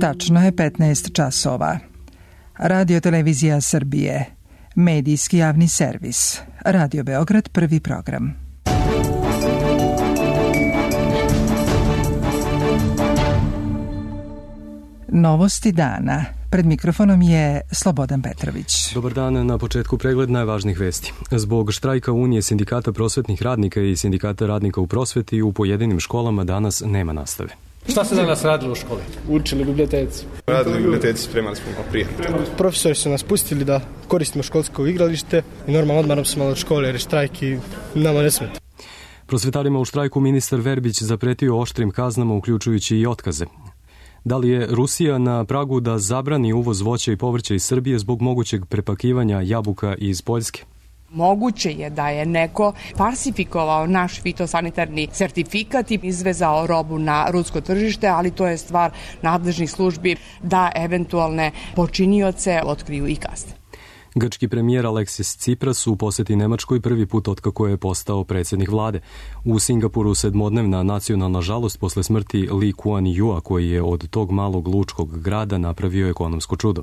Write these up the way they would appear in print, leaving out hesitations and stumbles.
Tačno je 15 časova. Radio Televizija Srbije. Medijski javni servis. Radio Beograd, prvi program. Novosti dana. Pred mikrofonom je Slobodan Petrović. Dobar dan, na početku pregled najvažnijih vesti. Zbog štrajka Unije sindikata prosvetnih radnika i sindikata radnika u prosveti u pojedinim školama danas nema nastave. Šta se danas radilo u školi? Učili u biblioteci. Radili u biblioteci, spremali smo papir. Profesori su nas pustili da koristimo školsko igralište i normalno odmaram smo od škole jer je štrajk i nama ne smeta. Prosvetarima u štrajku ministar Verbić zapretio oštrim kaznama uključujući i otkaze. Da li je Rusija na pragu da zabrani uvoz voća i povrća iz Srbije zbog mogućeg prepakivanja jabuka iz Poljske? Moguće je da je neko falsifikovao naš fitosanitarni sertifikat i izvezao robu na rusko tržište, ali to je stvar nadležnih službi da eventualne počinioce otkriju i kazne. Grčki premijer Aleksis Tsipras u poseti Nemačkoj prvi put otkako je postao predsjednik vlade. U Singapuru sedmodnevna nacionalna žalost posle smrti Lee Kuan Yew, koji je od tog malog lučkog grada napravio ekonomsko čudo.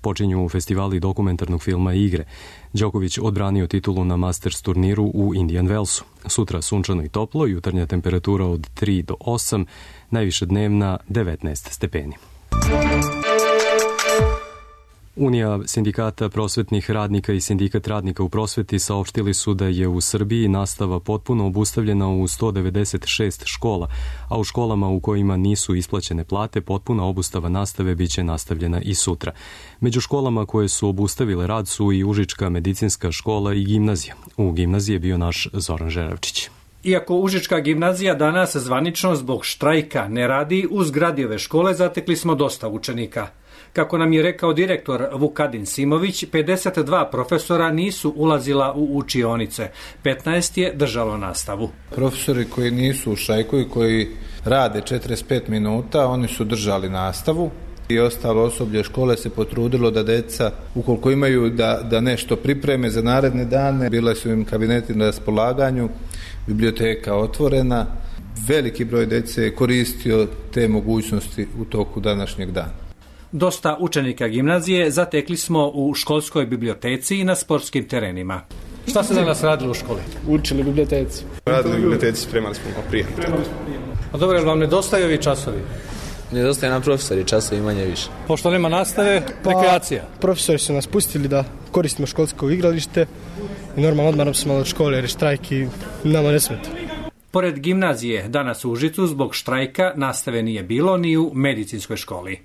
Počinju festivali dokumentarnog filma i igre. Đoković odbranio titulu na Masters turniru u Indian Wellsu. Sutra sunčano i toplo, jutarnja temperatura od 3 do 8, najviše dnevna 19 stepeni. Unija sindikata prosvetnih radnika i sindikat radnika u prosveti saopštili su da je u Srbiji nastava potpuno obustavljena u 196 škola, a u školama u kojima nisu isplaćene plate potpuna obustava nastave biće nastavljena i sutra. Među školama koje su obustavile rad su i Užička medicinska škola i gimnazija. U gimnaziji je bio naš Zoran Žeravčić. Iako Užička gimnazija danas zvanično zbog štrajka ne radi, u zgradi ove škole zatekli smo dosta učenika. Kako nam je rekao direktor Vukadin Simović, 52 profesora nisu ulazila u učionice, 15 je držalo nastavu. Profesori koji nisu u štrajku i koji rade 45 minuta, oni su držali nastavu i ostalo osoblje škole se potrudilo da deca, ukoliko imaju da nešto pripreme za naredne dane, bile su im kabineti na raspolaganju, biblioteka otvorena, veliki broj dece je koristio te mogućnosti u toku današnjeg dana. Dosta učenika gimnazije zatekli smo u školskoj biblioteci i na sportskim terenima. Šta se danas radilo u školi? Učili u biblioteci. Radili u biblioteci, spremali smo papir. A dobro, jer vam nedostaju ovi časovi? Nedostaje nam profesori, časovi manje više. Pošto nema nastave, rekreacija. Profesori su nas pustili da koristimo školsko igralište i normalno odmaram smo od škole jer je štrajk i nama ne smeta. Pored gimnazije, danas u Užicu zbog štrajka nastave nije bilo ni u medicinskoj školi.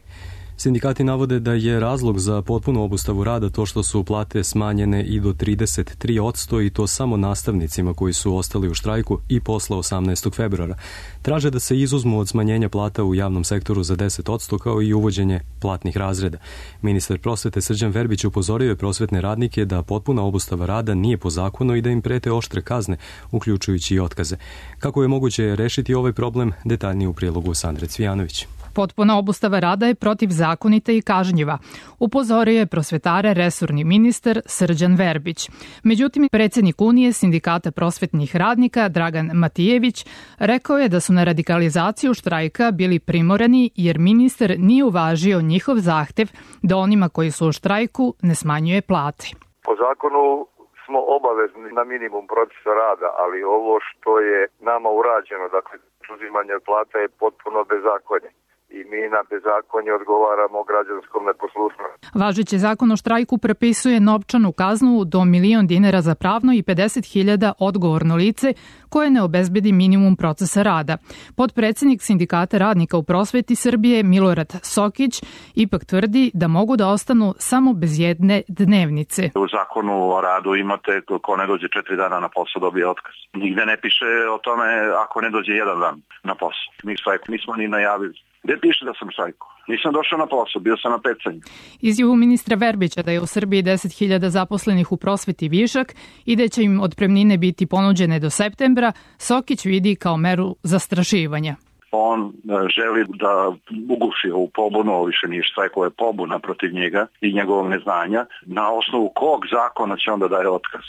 Sindikati navode da je razlog za potpunu obustavu rada to što su plate smanjene i do 33% i to samo nastavnicima koji su ostali u štrajku i posle 18. februara. Traže da se izuzmu od smanjenja plata u javnom sektoru za 10% kao i uvođenje platnih razreda. Ministar prosvete Srđan Verbić upozorio je prosvetne radnike da potpuna obustava rada nije po zakonu i da im prete oštre kazne, uključujući i otkaze. Kako je moguće rešiti ovaj problem, detaljnije u prilogu Sandre Cvijanović. Potpuna obustava rada je protivzakonita i kažnjiva, upozorio je prosvetare resorni ministar Srđan Verbić. Međutim, predsjednik Unije sindikata prosvetnih radnika Dragan Matijević rekao je da su na radikalizaciju štrajka bili primorani jer ministar nije uvažio njihov zahtev da onima koji su u štrajku ne smanjuje plate. Po zakonu smo obavezni na minimum procesa rada, ali ovo što je nama urađeno, dakle uzimanje plata je potpuno bezakonje. I mi na bezakonje odgovaramo građanskom neposlušnosti. Važeći zakon o štrajku propisuje novčanu kaznu do 1.000.000 dinara za pravno i 50.000 odgovorno lice koje ne obezbedi minimum procesa rada. Potpredsjednik sindikata radnika u prosveti Srbije Milorad Sokić ipak tvrdi da mogu da ostanu samo bez jedne dnevnice. U zakonu o radu imate ko ne dođe 4 dana na posao dobije otkaz. Nigde ne piše o tome ako ne dođe 1 dan na posao. Mi štrajk nismo ni najavili. Gde piše da sam štrajkao? Nisam došao na posao, bio sam na pecanju. Izjavu ministra Verbića da je u Srbiji 10.000 zaposlenih u prosveti višak i da će im otpremnine biti ponuđene do septembra, Sokić vidi kao meru zastrašivanja. On želi da uguši ovu pobunu, ovo više nije štrajk, ovo je pobuna protiv njega i njegovog neznanja. Na osnovu kog zakona će onda daje otkaz?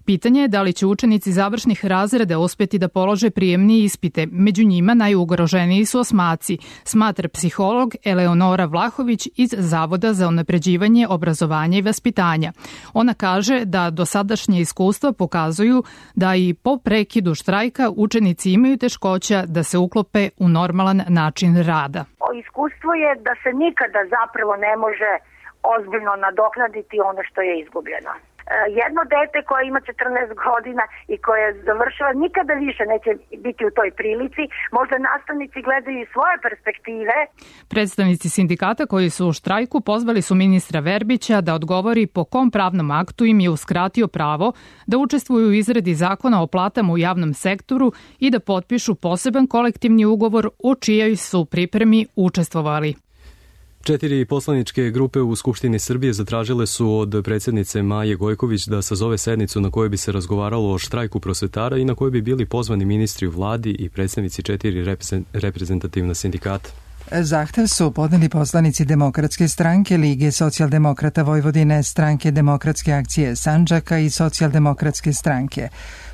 Pitanje je da li će učenici završnih razreda uspjeti da polože prijemni ispite. Među njima najugroženiji su osmaci, smatra psiholog Eleonora Vlahović iz Zavoda za unapređivanje obrazovanja i vaspitanja. Ona kaže da dosadašnje iskustva pokazuju da i po prekidu štrajka učenici imaju teškoća da se uklope u normalan način rada. Iskustvo je da se nikada zapravo ne može ozbiljno nadoknaditi ono što je izgubljeno. Jedno dete koje ima 14 godina i koje završava nikada više neće biti u toj prilici. Možda nastavnici gledaju i svoje perspektive. Predstavnici sindikata koji su u štrajku pozvali su ministra Verbića da odgovori po kom pravnom aktu im je uskratio pravo da učestvuju u izradi zakona o platama u javnom sektoru i da potpišu poseban kolektivni ugovor u čijoj su pripremi učestvovali. 4 poslaničke grupe u Skupštini Srbije zatražile su od predsjednice Maje Gojković da sazove sednicu na kojoj bi se razgovaralo o štrajku prosvetara i na kojoj bi bili pozvani ministri u vladi i predstavnici 4 reprezentativna sindikata. Zahtev su podneli poslanici Demokratske stranke, Lige socijaldemokrata Vojvodine, Stranke demokratske akcije Sandžaka i Socijaldemokratske stranke.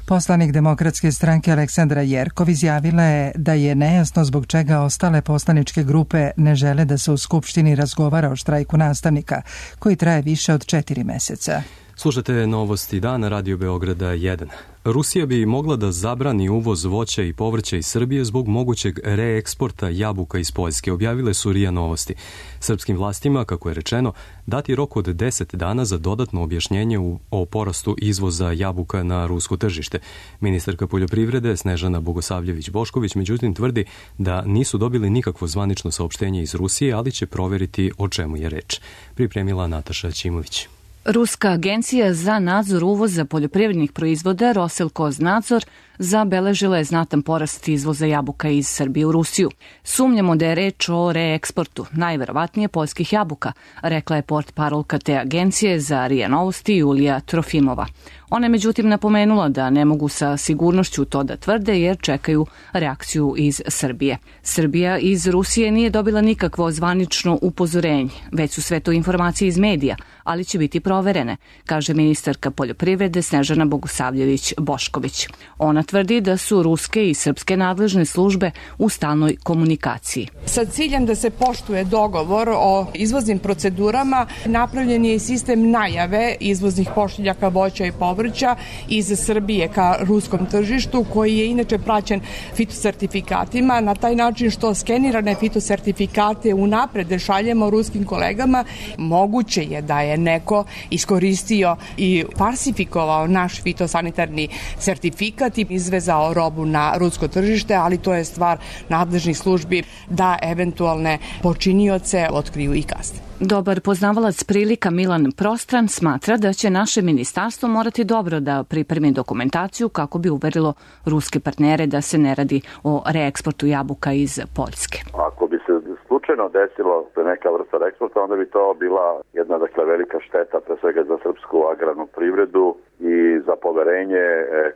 Poslanik Demokratske stranke Aleksandra Jerkov izjavila je da je nejasno zbog čega ostale poslaničke grupe ne žele da se u Skupštini razgovara o štrajku nastavnika, koji traje više od 4 meseca. Slušate novosti dana Radio Beograda 1. Rusija bi mogla da zabrani uvoz voća i povrća iz Srbije zbog mogućeg reeksporta jabuka iz Poljske, objavile su RIA Novosti. Srpskim vlastima, kako je rečeno, dati rok od 10 dana za dodatno objašnjenje o porastu izvoza jabuka na rusko tržište. Ministarka poljoprivrede Snežana Bogosavljević-Bošković međutim tvrdi da nisu dobili nikakvo zvanično saopštenje iz Rusije, ali će proveriti o čemu je reč. Pripremila Nataša Ćimović. Ruska agencija za nadzor uvoza poljoprivrednih proizvoda Roselkoznadzor zabeležila je znatan porast izvoza jabuka iz Srbije u Rusiju. Sumnjamo da je reč o reeksportu, najverovatnije poljskih jabuka, rekla je portparolka te agencije za RIA Novosti Julija Trofimova. Ona je međutim napomenula da ne mogu sa sigurnošću to da tvrde jer čekaju reakciju iz Srbije. Srbija iz Rusije nije dobila nikakvo zvanično upozorenje, već su sve to informacije iz medija, ali će biti proverene, kaže ministarka poljoprivrede Snežana Bogosavljević-Bošković. Ona tvrdi da su ruske i srpske nadležne službe u stalnoj komunikaciji. Sa ciljem da se poštuje dogovor o izvoznim procedurama, napravljen je i sistem najave izvoznih pošiljaka voća i povrća iz Srbije ka ruskom tržištu, koji je inače praćen fitosertifikatima, na taj način što skenirane fitosertifikate unapred šaljemo ruskim kolegama. Moguće je da je neko iskoristio i falsifikovao naš fitosanitarni sertifikat i izvezao robu na rusko tržište, ali to je stvar nadležnih službi da eventualne počinioce otkriju i kazne. Dobar poznavalac prilika Milan Prostran smatra da će naše ministarstvo morati dobro da pripremi dokumentaciju kako bi uverilo ruske partnere da se ne radi o reeksportu jabuka iz Poljske. Ako bi se slučajno desilo neka vrsta reeksporta, onda bi to bila jedna velika šteta, pre svega za srpsku agrarnu privredu i za poverenje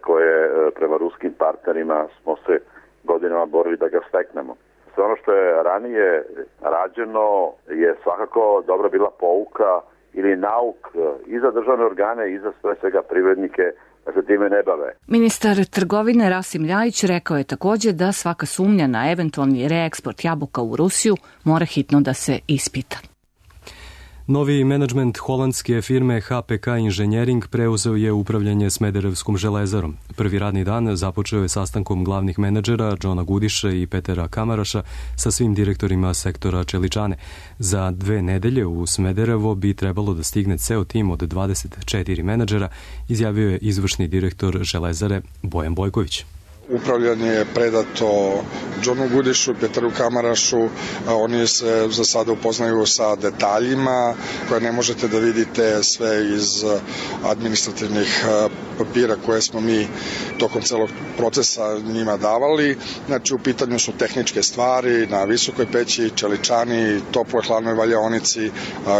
koje prema ruskim partnerima smo se godinama borili da ga steknemo. Sve ono što je ranije rađeno je svakako dobra bila pouka ili nauk i za državne organe i za sve svega privrednike da se time ne bave. Ministar trgovine Rasim Ljajić rekao je također da svaka sumnja na eventualni reeksport jabuka u Rusiju mora hitno da se ispita. Novi menadžment holandske firme HPK Inženjering preuzeo je upravljanje Smederevskom železarom. Prvi radni dan započeo je sastankom glavnih menadžera Džona Gudiša i Petera Kamaraša sa svim direktorima sektora čeličane. Za 2 nedelje u Smederevo bi trebalo da stigne ceo tim od 24 menadžera, izjavio je izvršni direktor železare Bojan Bojković. Upravljanje je predato Džonu Gudišu i Peteru Kamarašu. Oni se za sada upoznaju sa detaljima koje ne možete da vidite sve iz administrativnih papira koje smo mi tokom celog procesa njima davali. Znači, u pitanju su tehničke stvari na visokoj peći, čeličani, toploj hladnoj valjaonici,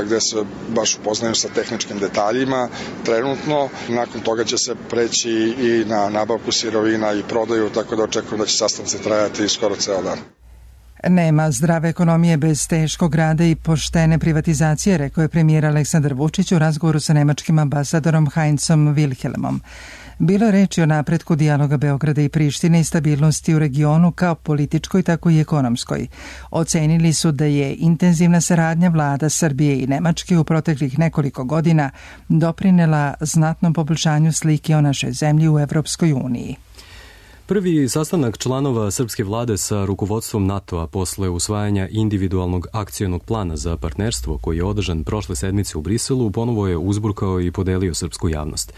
gde se baš upoznaju sa tehničkim detaljima. Trenutno, nakon toga će se preći i na nabavku sirovina i prodaju, tako da očekujem da će sastanci trajati skoro ceo dan. Nema zdrave ekonomije bez teškog rada i poštene privatizacije, rekao je premijer Aleksandar Vučić u razgovoru sa nemačkim ambasadorom Heinzom Wilhelmom. Bilo je reči o napretku dijaloga Beograda i Prištine i stabilnosti u regionu kao političkoj, tako i ekonomskoj. Ocenili su da je intenzivna saradnja vlada Srbije i Nemačke u proteklih nekoliko godina doprinela znatnom poboljšanju slike o našoj zemlji u Evropskoj uniji. Prvi sastanak članova srpske vlade sa rukovodstvom NATO-a posle usvajanja individualnog akcionog plana za partnerstvo koji je održan prošle sedmice u Briselu ponovo je uzburkao i podelio srpsku javnost.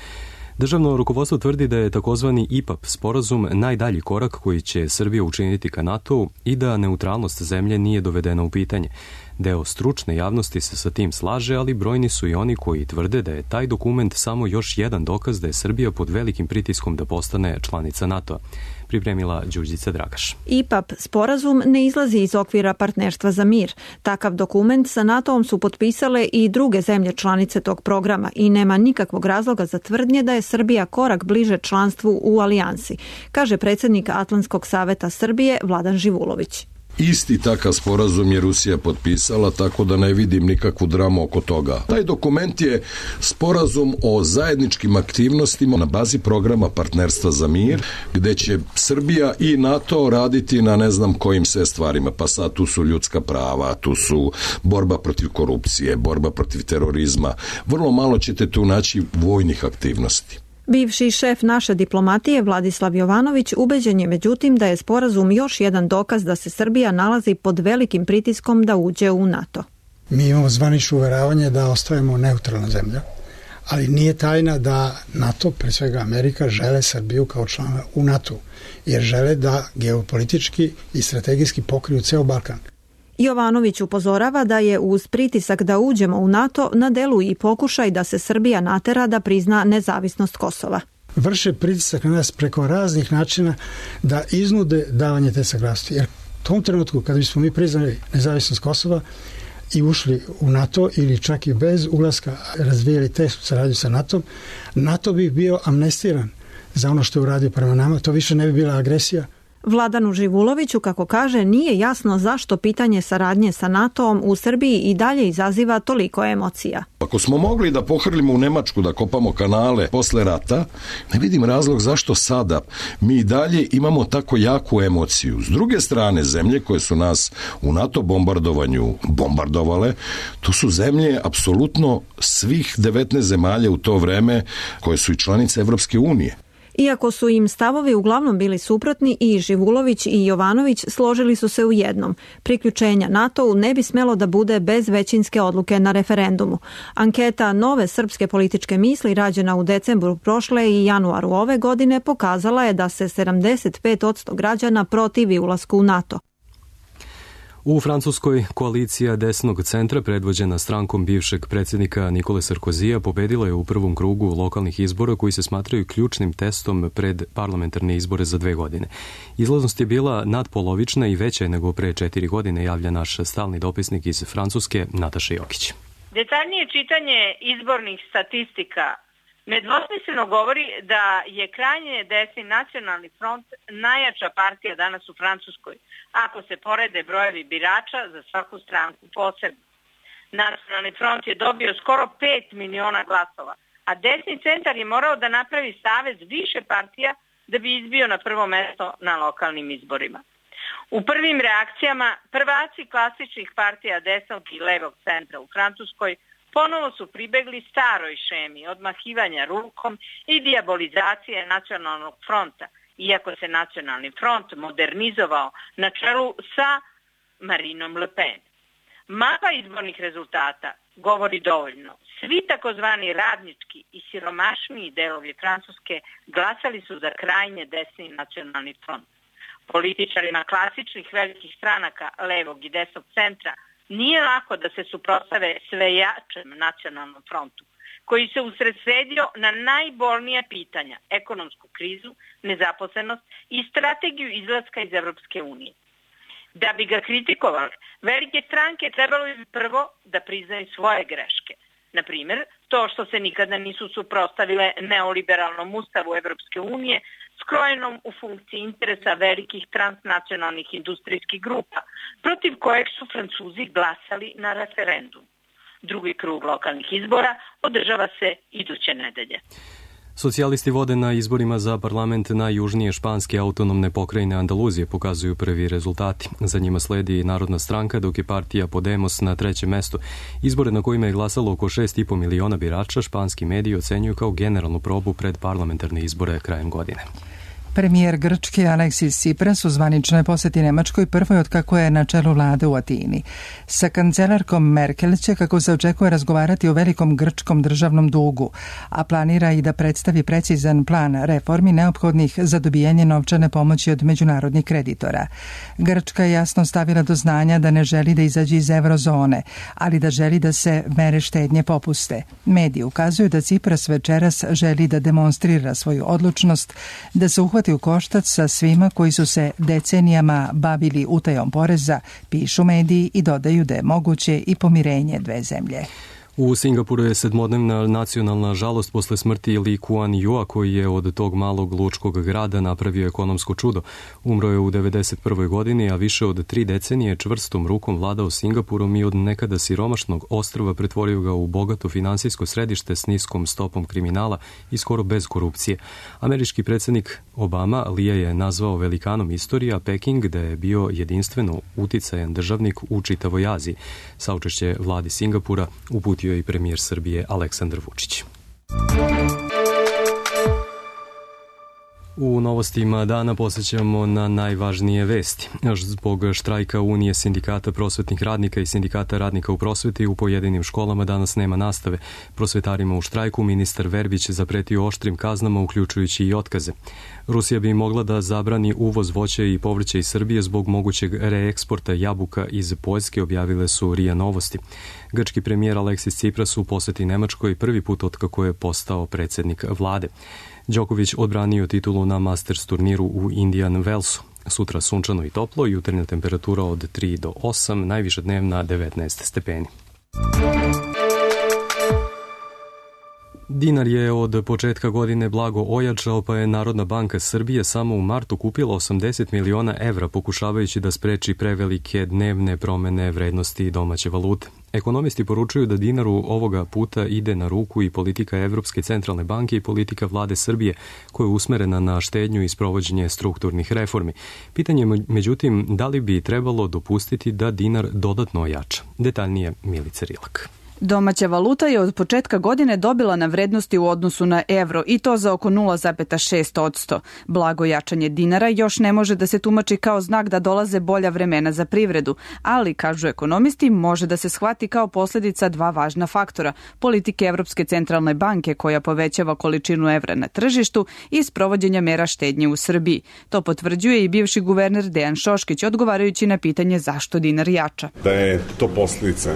Državno rukovodstvo tvrdi da je takozvani IPAP sporazum najdalji korak koji će Srbija učiniti ka NATO-u i da neutralnost zemlje nije dovedena u pitanje. Deo stručne javnosti se sa tim slaže, ali brojni su i oni koji tvrde da je taj dokument samo još jedan dokaz da je Srbija pod velikim pritiskom da postane članica NATO-a. Pripremila Đurđica Dragaš. IPAP sporazum ne izlazi iz okvira partnerstva za mir. Takav dokument sa NATO-om su potpisale i druge zemlje članice tog programa i nema nikakvog razloga za tvrdnje da je Srbija korak bliže članstvu u alijansi, kaže predsjednik Atlantskog saveta Srbije Vladan Živulović. Isti takav sporazum je Rusija potpisala, tako da ne vidim nikakvu dramu oko toga. Taj dokument je sporazum o zajedničkim aktivnostima na bazi programa partnerstva za mir, gde će Srbija i NATO raditi na ne znam kojim sve stvarima. Pa sad tu su ljudska prava, tu su borba protiv korupcije, borba protiv terorizma. Vrlo malo ćete tu naći vojnih aktivnosti. Bivši šef naše diplomatije Vladislav Jovanović ubeđen je međutim da je sporazum još jedan dokaz da se Srbija nalazi pod velikim pritiskom da uđe u NATO. Mi imamo zvanično uveravanje da ostajemo neutralna zemlja, ali nije tajna da NATO, pre svega Amerika, žele Srbiju kao člana u NATO, jer žele da geopolitički i strategijski pokriju ceo Balkan. Jovanović upozorava da je uz pritisak da uđemo u NATO na delu i pokušaj da se Srbija natera da prizna nezavisnost Kosova. Vrše pritisak na nas preko raznih načina da iznude davanje te saglasnosti. Jer u tom trenutku kada bismo mi priznali nezavisnost Kosova i ušli u NATO ili čak i bez ulaska razvijali tešku saradnju sa NATO, NATO bi bio amnestiran za ono što je uradio prema nama. To više ne bi bila agresija. Vladanu Živuloviću, kako kaže, nije jasno zašto pitanje saradnje sa NATO-om u Srbiji i dalje izaziva toliko emocija. Ako smo mogli da pohrlimo u Nemačku, da kopamo kanale posle rata, ne vidim razlog zašto sada mi dalje imamo tako jaku emociju. S druge strane, zemlje koje su nas u NATO bombardovanju bombardovale, to su zemlje apsolutno svih 19 zemalja u to vreme koje su i članice Evropske unije. Iako su im stavovi uglavnom bili suprotni, i Živulović i Jovanović složili su se u jednom. Priključenja NATO-u ne bi smelo da bude bez većinske odluke na referendumu. Anketa Nove srpske političke misli rađena u decembru prošle i januaru ove godine pokazala je da se 75% građana protivi ulasku u NATO. U Francuskoj koalicija desnog centra predvođena strankom bivšeg predsjednika Nikole Sarkozija pobedila je u prvom krugu lokalnih izbora koji se smatraju ključnim testom pred parlamentarne izbore za 2 godine. Izlaznost je bila nadpolovična i veća nego pre 4 godine, javlja naš stalni dopisnik iz Francuske Nataša Jokić. Detaljnije čitanje izbornih statistika nedvosmisleno govori da je krajnje desni Nacionalni front najjača partija danas u Francuskoj, ako se porede brojevi birača za svaku stranku posebno. Nacionalni front je dobio skoro 5 miliona glasova, a desni centar je morao da napravi savez više partija da bi izbio na prvo mesto na lokalnim izborima. U prvim reakcijama prvaci klasičnih partija desnog i levog centra u Francuskoj ponovo su pribegli staroj šemi odmahivanja rukom i dijabolizacije Nacionalnog fronta, iako se Nacionalni front modernizovao na čelu sa Marinom Le Pen. Mapa izbornih rezultata govori dovoljno. Svi takozvani radnički i siromašniji delovi Francuske glasali su za krajnje desni Nacionalni front. Političarima klasičnih velikih stranaka levog i desnog centra nije lako da se suprotstave sve jačem Nacionalnom frontu, koji se usredsredio na najbolnija pitanja, ekonomsku krizu, nezaposlenost i strategiju izlaska iz Evropske unije. Da bi ga kritikovali, velike stranke trebalo bi prvo da priznaju svoje greške. Na primjer, to što se nikada nisu suprotstavile neoliberalnom ustavu Evropske unije, skrojenom u funkciji interesa velikih transnacionalnih industrijskih grupa, protiv kojeg su Francuzi glasali na referendum. Drugi krug lokalnih izbora održava se iduće nedelje. Socijalisti vode na izborima za parlament najjužnije španske autonomne pokrajine Andaluzije, pokazuju prvi rezultati. Za njima sledi Narodna stranka, dok je partija Podemos na trećem mestu. Izbore na kojima je glasalo oko 6,5 miliona birača španski mediji ocenjuju kao generalnu probu pred parlamentarne izbore krajem godine. Premijer Grčke Aleksis Tsipras u zvaničnoj poseti Nemačkoj prvoj od kako je na čelu vlade u Atini. Sa kancelarkom Merkel će, kako se očekuje, razgovarati o velikom grčkom državnom dugu, a planira i da predstavi precizan plan reformi neophodnih za dobijanje novčane pomoći od međunarodnih kreditora. Grčka je jasno stavila do znanja da ne želi da izađe iz eurozone, ali da želi da se mere štednje popuste. Mediji ukazuju da Tsipras večeras želi da demonstrira svoju odlučnost da se uhvati u koštac sa svima koji su se decenijama bavili utajom poreza, pišu mediji i dodaju da je moguće i pomirenje dve zemlje. U Singapuru je 7-dnevna nacionalna žalost posle smrti Lee Kuan Yew, koji je od tog malog lučkog grada napravio ekonomsko čudo. Umro je u 91. godini, a više od 3 decenije čvrstom rukom vladao Singapurom i od nekada siromašnog ostrva pretvorio ga u bogato finansijsko središte s niskom stopom kriminala i skoro bez korupcije. Američki predsjednik Obama Lee je nazvao velikanom istorije, a Peking da je bio jedinstveno uticajan državnik u čitavoj Aziji. Saučešće vladi Singapura uputio i premijer Srbije Aleksandar Vučić. U novostima dana posjećamo na najvažnije vesti. Zbog štrajka Unije sindikata prosvetnih radnika i sindikata radnika u prosveti u pojedinim školama danas nema nastave. Prosvetarima u štrajku ministar Verbić zapretio oštrim kaznama, uključujući i otkaze. Rusija bi mogla da zabrani uvoz voća i povrća iz Srbije zbog mogućeg reeksporta jabuka iz Poljske, objavile su RIA Novosti. Grčki premijer Aleksis Tsipras u poseti Nemačkoj prvi put otkako je postao predsjednik vlade. Đoković odbranio titulu na Masters turniru u Indian Wellsu. Sutra sunčano i toplo, jutarnja temperatura od 3 do 8, najviša dnevna 19 stepeni. Dinar je od početka godine blago ojačao, pa je Narodna banka Srbije samo u martu kupila 80 miliona evra, pokušavajući da spreči prevelike dnevne promene vrednosti domaće valute. Ekonomisti poručuju da dinaru ovoga puta ide na ruku i politika Evropske centralne banke i politika vlade Srbije, koja je usmerena na štednju i sprovođenje strukturnih reformi. Pitanje je, međutim, da li bi trebalo dopustiti da dinar dodatno ojača? Detaljnije Milica Rilak. Domaća valuta je od početka godine dobila na vrednosti u odnosu na evro i to za oko 0,6%. Blago jačanje dinara još ne može da se tumači kao znak da dolaze bolja vremena za privredu, ali, kažu ekonomisti, može da se shvati kao posljedica dva važna faktora: politike Evropske centralne banke koja povećava količinu evra na tržištu i sprovođenja mera štednje u Srbiji. To potvrđuje i bivši guverner Dejan Šoškić, odgovarajući na pitanje zašto dinar jača. Da je to posljedica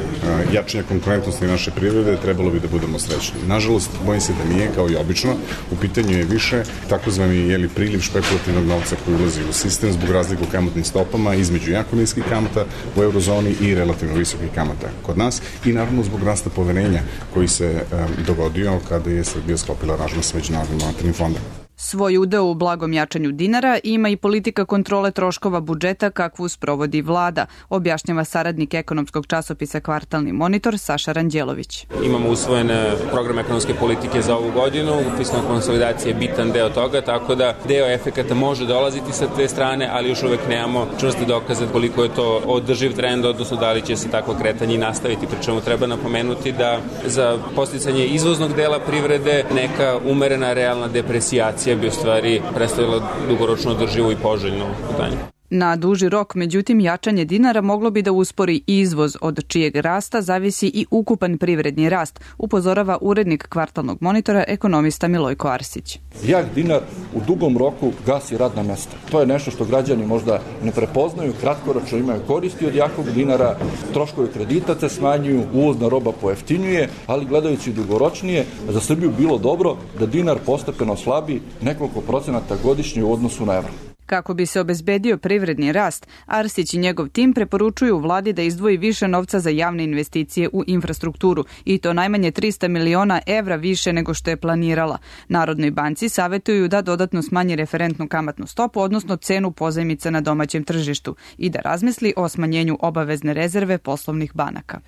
jačanja konkurentnosti naše privrede, trebalo bi da budemo srećni. Nažalost, bojim se da nije, kao i obično. U pitanju je više takozvani priliv špekulativnog novca koji ulazi u sistem zbog razlike u kamatnim stopama između jako niskih kamata u eurozoni i relativno visokih kamata kod nas i naravno zbog rasta poverenja koji se dogodio kada je Srbija sklopila aranžman sa Međunarodnim monetarnim fondom. Svoj udeo u blagom jačanju dinara ima i politika kontrole troškova budžeta kakvu sprovodi vlada, objašnjava saradnik ekonomskog časopisa Kvartalni monitor Saša Ranđelović. Imamo usvojen program ekonomske politike za ovu godinu, fiskalna konsolidacija je bitan deo toga, tako da deo efekata može dolaziti sa te strane, ali još uvek nemamo čvrste dokaze koliko je to održiv trend, odnosno da li će se takvo kretanje i nastaviti. Pri čemu treba napomenuti da za podsticanje izvoznog dela privrede neka umerena realna depresijacija bi u stvari predstavila dugoročno održivo i poželjno pitanje. Na duži rok, međutim, jačanje dinara moglo bi da uspori izvoz, od čijeg rasta zavisi i ukupan privredni rast, upozorava urednik Kvartalnog monitora, ekonomista Milojko Arsić. Jak dinar u dugom roku gasi radna mesta. To je nešto što građani možda ne prepoznaju, kratkoročno imaju koristi od jakog dinara, troškovi kredita se smanjuju, uvozna roba pojeftinjuje, ali gledajući dugoročnije, za Srbiju bilo dobro da dinar postepeno slabi nekoliko procenata godišnje u odnosu na evro. Kako bi se obezbedio privredni rast, Arsić i njegov tim preporučuju vladi da izdvoji više novca za javne investicije u infrastrukturu i to najmanje 300 miliona evra više nego što je planirala. Narodnoj banci savetuju da dodatno smanji referentnu kamatnu stopu, odnosno cenu pozajmica na domaćem tržištu i da razmisli o smanjenju obavezne rezerve poslovnih banaka.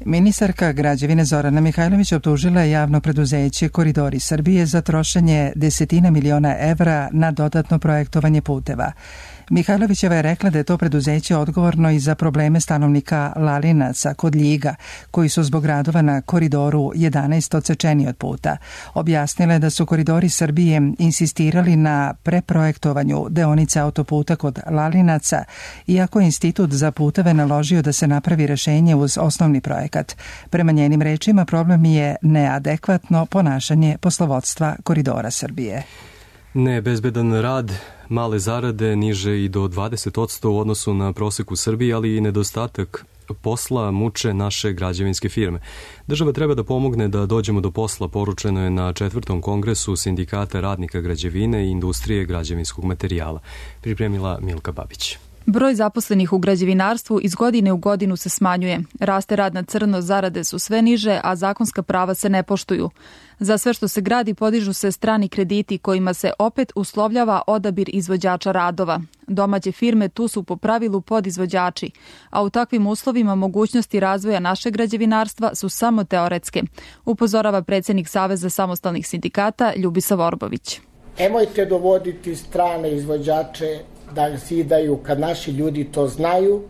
Ministarka građevine Zorana Mihajlović optužila je javno preduzeće Koridori Srbije za trošenje desetina miliona evra na dodatno projektovanje puteva. Mihajlovićeva je rekla da je to preduzeće odgovorno i za probleme stanovnika Lalinaca kod Ljiga, koji su zbog radova na Koridoru 11 odsečeni od puta. Objasnila je da su Koridori Srbije insistirali na preprojektovanju deonice autoputa kod Lalinaca, iako je Institut za puteve naložio da se napravi rešenje uz osnovni projekat. Prema njenim rečima, problem je neadekvatno ponašanje poslovodstva Koridora Srbije. Nebezbedan rad, male zarade, niže i do 20% u odnosu na prosek u Srbiji, ali i nedostatak posla muče naše građevinske firme. Država treba da pomogne da dođemo do posla, poručeno je na 4. kongresu Sindikata radnika građevine i industrije građevinskog materijala. Pripremila Milka Babić. Broj zaposlenih u građevinarstvu iz godine u godinu se smanjuje. Raste rad na crno, zarade su sve niže, a zakonska prava se ne poštuju. Za sve što se gradi podižu se strani krediti kojima se opet uslovljava odabir izvođača radova. Domaće firme tu su po pravilu podizvođači, a u takvim uslovima mogućnosti razvoja našeg građevinarstva su samo teoretske, upozorava predsjednik Saveza samostalnih sindikata Ljubisa Vorbović. Nemojte dovoditi strane izvođače da zidaju kad naši ljudi to znaju.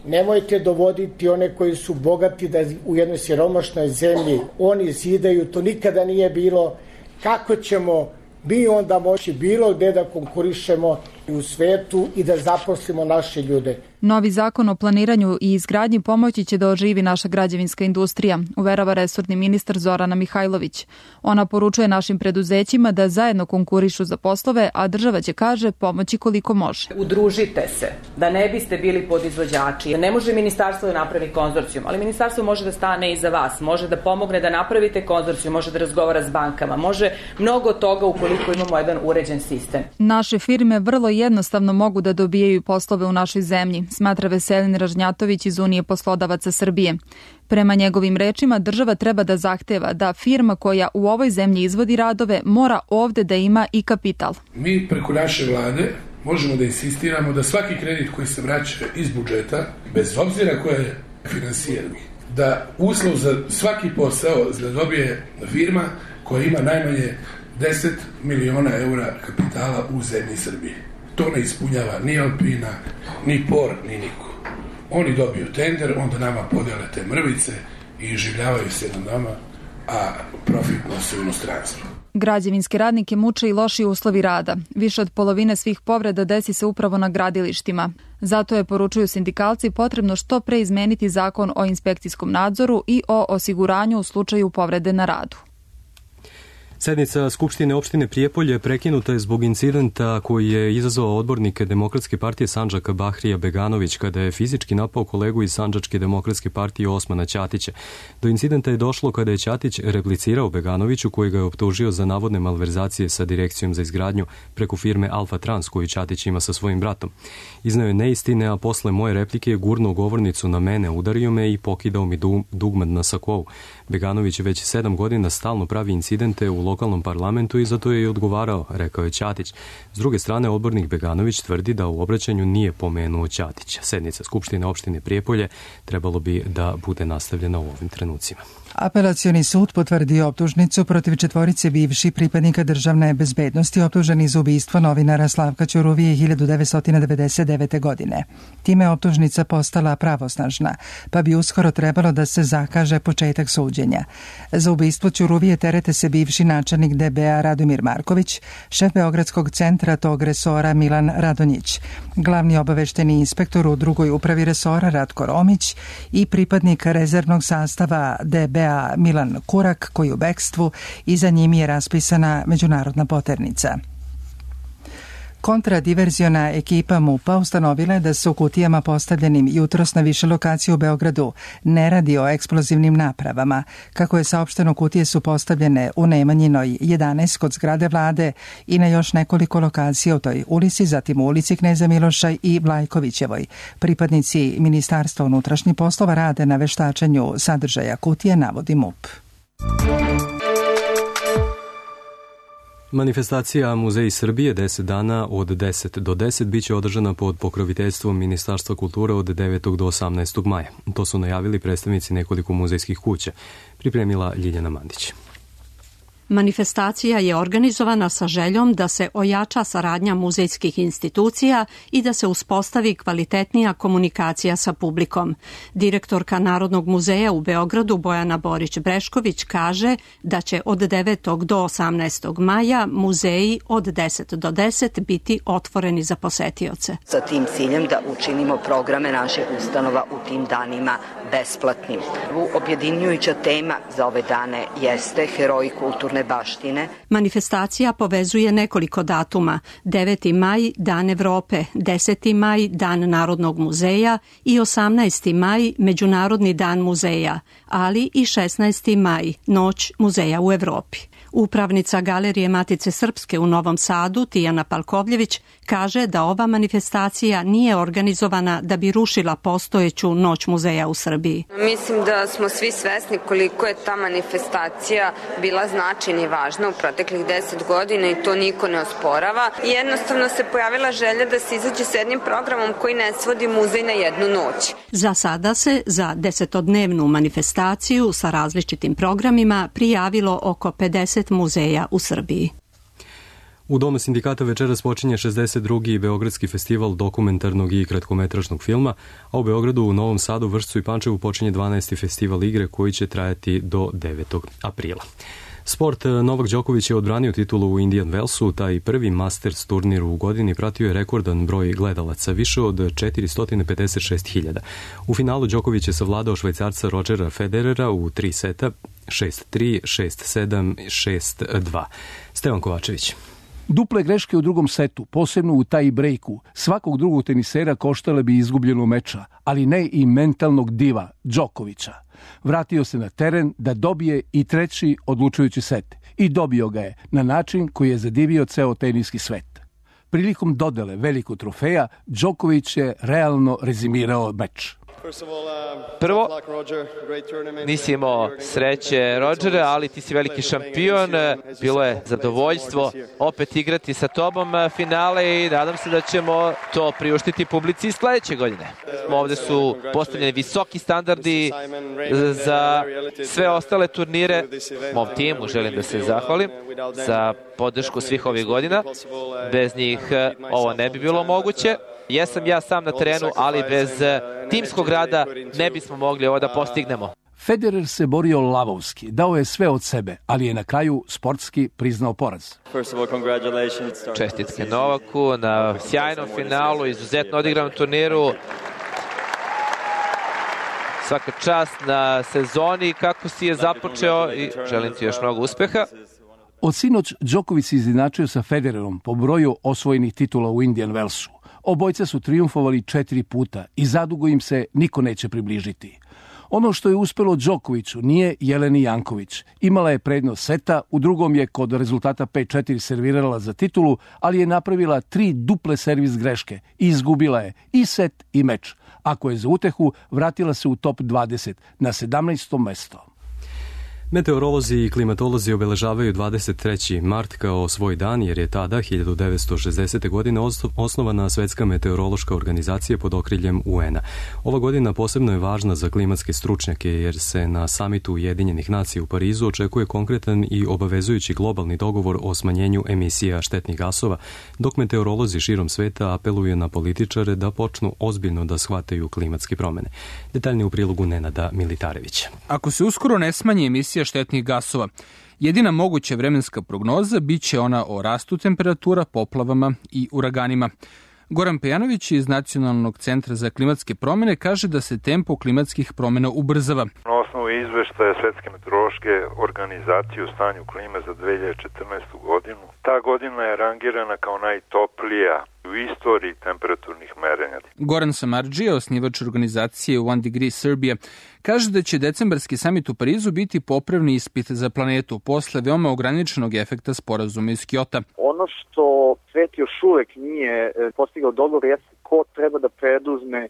Nemojte dovoditi one koji su bogati da u jednoj siromašnoj zemlji oni zidaju, to nikada nije bilo. Kako ćemo mi onda moći bilo gde da konkurišemo u svetu i da zaposlimo naše ljude? Novi zakon o planiranju i izgradnji pomoći će da oživi naša građevinska industrija, uverava resorni ministar Zorana Mihajlović. Ona poručuje našim preduzećima da zajedno konkurišu za poslove, a država će, kaže, pomoći koliko može. Udružite se, da ne biste bili podizvođači. Ne može ministarstvo da napravi konzorcijum, ali ministarstvo može da stane iza vas, može da pomogne da napravite konzorcijum, može da razgovara s bankama, može mnogo toga ukoliko imamo jedan uređen sistem. Naše firme vrlo jednostavno mogu da dobijaju poslove u našoj zemlji, smatra Veselin Ražnjatović iz Unije poslodavaca Srbije. Prema njegovim rečima, država treba da zahteva da firma koja u ovoj zemlji izvodi radove mora ovde da ima i kapital. Mi preko naše vlade možemo da insistiramo da svaki kredit koji se vraća iz budžeta, bez obzira ko je finansirani, da uslov za svaki posao da dobije firma koja ima najmanje 10 miliona eura kapitala u zemlji Srbije. To ne ispunjava ni Alpina, ni POR, ni niko. Oni dobiju tender, onda nama podele te mrvice i življavaju se na nama, a profit nose u inostranstvo. Građevinske radnike muče i loši uslovi rada. Više od polovine svih povreda desi se upravo na gradilištima. Zato je, poručuju sindikalci, potrebno što pre izmeniti zakon o inspekcijskom nadzoru i o osiguranju u slučaju povrede na radu. Sednica Skupštine opštine Prijepolje prekinuta je zbog incidenta koji je izazvao odbornike Demokratske partije Sandžaka Bahrija Beganović kada je fizički napao kolegu iz Sandžačke demokratske partije Osmana Ćatića. Do incidenta je došlo kada je Ćatić replicirao Beganoviću koji ga je optužio za navodne malverzacije sa direkcijom za izgradnju preko firme Alfa Trans koju Ćatić ima sa svojim bratom. Iznao je neistine, a posle moje replike je gurnuo govornicu na mene, udario me i pokidao mi dugmad na sakovu. Beganović već 7 godina stalno pravi incidente u lokalnom parlamentu i zato je i odgovarao, rekao je Ćatić. S druge strane, odbornik Beganović tvrdi da u obraćanju nije pomenuo Ćatića. Sednica Skupštine opštine Prijepolje trebalo bi da bude nastavljena u ovim trenucima. Apelacioni sud potvrdio optužnicu protiv 4 bivših pripadnika državne bezbednosti optuženi za ubistvo novinara Slavka Ćuruvije 1999. godine. Time je optužnica postala pravosnažna, pa bi uskoro trebalo da se zakaže početak suđenja. Za ubistvo Ćuruvije terete se bivši načelnik DBA Radomir Marković, šef Beogradskog centra tog resora Milan Radonjić, glavni obavešteni inspektor u drugoj upravi resora Ratko Romić i pripadnik rezervnog sastava DBA Milan Kurak, koji u bekstvu i za njim je raspisana međunarodna poternica. Kontradiverziona ekipa MUP-a ustanovila je da se u kutijama postavljenim jutros na više lokacija u Beogradu ne radi o eksplozivnim napravama. Kako je saopšteno, kutije su postavljene u Nemanjinoj 11 kod zgrade vlade i na još nekoliko lokacija u toj ulici, zatim u ulici Kneza Miloša i Vlajkovićevoj. Pripadnici Ministarstva unutrašnjih poslova rade na veštačenju sadržaja kutije, navodi MUP. Manifestacija Muzeji Srbije 10 dana od 10 do 10 biće održana pod pokroviteljstvom Ministarstva kulture od 9. do 18. maja. To su najavili predstavnici nekoliko muzejskih kuća. Pripremila Ljiljana Mandić. Manifestacija je organizovana sa željom da se ojača saradnja muzejskih institucija i da se uspostavi kvalitetnija komunikacija sa publikom. Direktorka Narodnog muzeja u Beogradu Bojana Borić-Brešković kaže da će od 9. do 18. maja muzeji od 10 do 10 biti otvoreni za posetioce. Sa tim ciljem da učinimo programe naših ustanova u tim danima besplatnim. Objedinjujuća tema za ove dane jeste heroji kulturne baštine. Manifestacija povezuje nekoliko datuma: 9. maj, Dan Evrope, 10. maj, Dan Narodnog muzeja i 18. maj, Međunarodni dan muzeja, ali i 16. maj, Noć muzeja u Evropi. Upravnica Galerije Matice Srpske u Novom Sadu, Tijana Palkovljević, kaže da ova manifestacija nije organizovana da bi rušila postojeću Noć muzeja u Srbiji. Mislim da smo svi svesni koliko je ta manifestacija bila značajna i važna u proteklih 10 godina i to niko ne osporava. Jednostavno se pojavila želja da se izađe s jednim programom koji ne svodi muzej na jednu noć. Za sada se za 10-dnevnu manifestaciju sa različitim programima prijavilo oko 50 muzeja u Srbiji. U Domu sindikata večeras počinje 62. Beogradski festival dokumentarnog i kratkometražnog filma, a u Beogradu, u Novom Sadu, Vršcu i Pančevu počinje 12. festival igre koji će trajati do 9. aprila. Sport. Novak Đoković je odbranio titulu u Indian Wellsu, taj prvi Masters turnir u godini pratio je rekordan broj gledalaca, više od 456.000. U finalu Đoković je savladao Švajcarca Rodgera Federera u 3 seta, 6-3, 6-7, 6-2. Stevan Kovačević. Duple greške u drugom setu, posebno u taj breaku, svakog drugog tenisera koštale bi izgubljenu meča, ali ne i mentalnog diva Đokovića. Vratio se na teren da dobije i treći odlučujući set i dobio ga je na način koji je zadivio ceo teniski svet. Prilikom dodele velikog trofeja, Đoković je realno rezimirao meč. Prvo, nisi imao sreće, Rodgere, ali ti si veliki šampion. Bilo je zadovoljstvo opet igrati sa tobom finale i nadam se da ćemo to priuštiti publici sledeće godine. Ovde su postavljeni visoki standardi za sve ostale turnire. Mom timu želim da se zahvalim za podršku svih ovih godina. Bez njih ovo ne bi bilo moguće. Jesam ja sam na terenu, ali bez timskog rada ne bismo mogli ovo da postignemo. Federer se borio lavovski, dao je sve od sebe, ali je na kraju sportski priznao poraz. Čestitke Novaku na sjajnom finalu, izuzetno odigranom turniru. Svaka čast na sezoni kako si je započeo i želim ti još mnogo uspeha. Od sinoć Đoković se izjednačio sa Federerom po broju osvojenih titula u Indian Wellsu. Obojca su trijumfovali 4 puta i zadugo im se niko neće približiti. Ono što je uspelo Đokoviću nije Jeleni Janković. Imala je prednost seta, u drugom je kod rezultata 5-4 servirala za titulu, ali je napravila 3 duple servis greške i izgubila je i set i meč. Ako je za utehu, vratila se u top 20 na 17. mesto. Meteorolozi i klimatolozi obeležavaju 23. mart kao svoj dan, jer je tada, 1960. godine, osnovana Svetska meteorološka organizacija pod okriljem UN-a. Ova godina posebno je važna za klimatske stručnjake, jer se na samitu Ujedinjenih nacija u Parizu očekuje konkretan i obavezujući globalni dogovor o smanjenju emisija štetnih gasova, dok meteorolozi širom sveta apeluju na političare da počnu ozbiljno da shvataju klimatske promene. Detaljnije u prilogu Nenada Militarevića. Ako se uskoro ne smanji emisija štetnih gasova, jedina moguća vremenska prognoza biće ona o rastu temperatura, poplavama i uraganima. Goran Pejanović iz Nacionalnog centra za klimatske promene kaže da se tempo klimatskih promena ubrzava. osnovu izveštaja Svetske meteorološke organizacije o stanju klime za 2014. godinu, ta godina je rangirana kao najtoplija u istoriji temperaturnih merenja. Goran Samardžija, osnivač organizacije One Degree Serbia, kaže da će decembarski samit u Parizu biti popravni ispit za planetu posle veoma ograničenog efekta sporazuma iz Kjota. Ono što svet još uvek nije postigao dogovor jeste ko treba da preduzme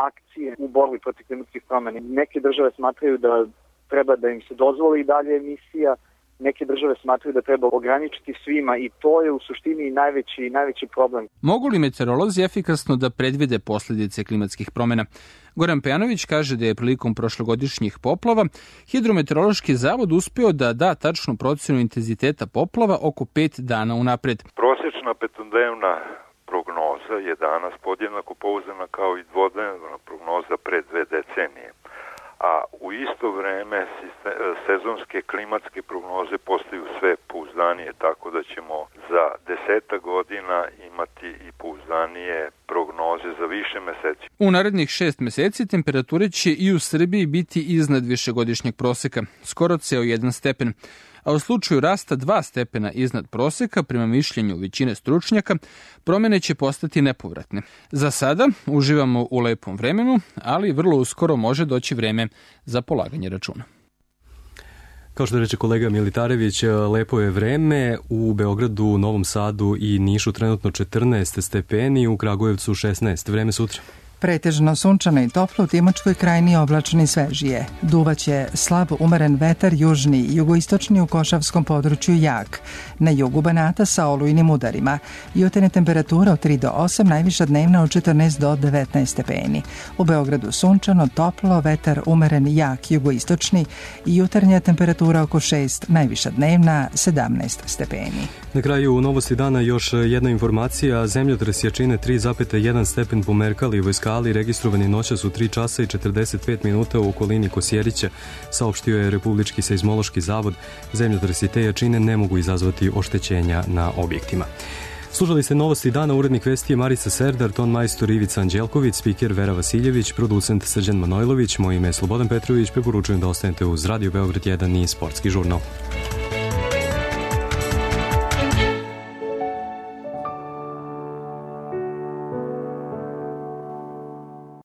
akcije u borbi protiv klimatskih promjena. Neke države smatraju da treba da im se dozvoli dalje emisija, neke države smatraju da treba ograničiti svima i to je u suštini najveći problem. Mogu li meteorolozi efikasno da predvide posljedice klimatskih promjena? Goran Pejanović kaže da je prilikom prošlogodišnjih poplava Hidrometeorološki zavod uspeo da da tačnu procjenu intenziteta poplava oko 5 dana unapred. Prosječna petodnevna prognoza je danas podjednako pouzdana kao i dvodnevna prognoza pre 2 decenije. A u isto vreme sezonske klimatske prognoze postaju sve pouzdanije, tako da ćemo za 10 godina imati i pouzdanije prognoze za više meseci. U narednih 6 meseci temperature će i u Srbiji biti iznad višegodišnjeg proseka, skoro ceo 1 stepen. A u slučaju rasta 2 stepena iznad proseka, prema mišljenju većine stručnjaka, promjene će postati nepovratne. Za sada uživamo u lepom vremenu, ali vrlo uskoro može doći vreme za polaganje računa. Kao što reče kolega Militarević, lepo je vreme. U Beogradu, Novom Sadu i Nišu trenutno 14 stepeni, u Kragujevcu 16. Vreme sutra. Pretežno sunčano i toplo, u Timočkoj krajini oblačno i svežije. Duvaće slab umeren vetar, južni i jugoistočni u Košavskom području jak. Na jugu Banata sa olujnim udarima. Jutarnja temperatura od 3 do 8, najviša dnevna od 14 do 19 stepeni. U Beogradu sunčano, toplo, vetar umeren jak, jugoistočni i jutarnja temperatura oko 6, najviša dnevna 17 stepeni. Na kraju u novosti dana još jedna informacija. Zemljotres jačine 3,1 stepen po Merkalijevoj skali registrovani noćas u 3 časa i 45 minuta u okolini Kosjerića, saopštio je Republički seizmološki zavod. Zemljotresi te jačine ne mogu izazvati oštećenja na objektima. Slušali ste novosti dana, urednik vesti je Marica Serdar, ton majstor Ivica Anđelković, spiker Vera Vasiljević, producent Srđan Manojlović, moje ime je Slobodan Petrović, preporučujem da ostanete uz Radio Beograd 1 i Sportski žurnal.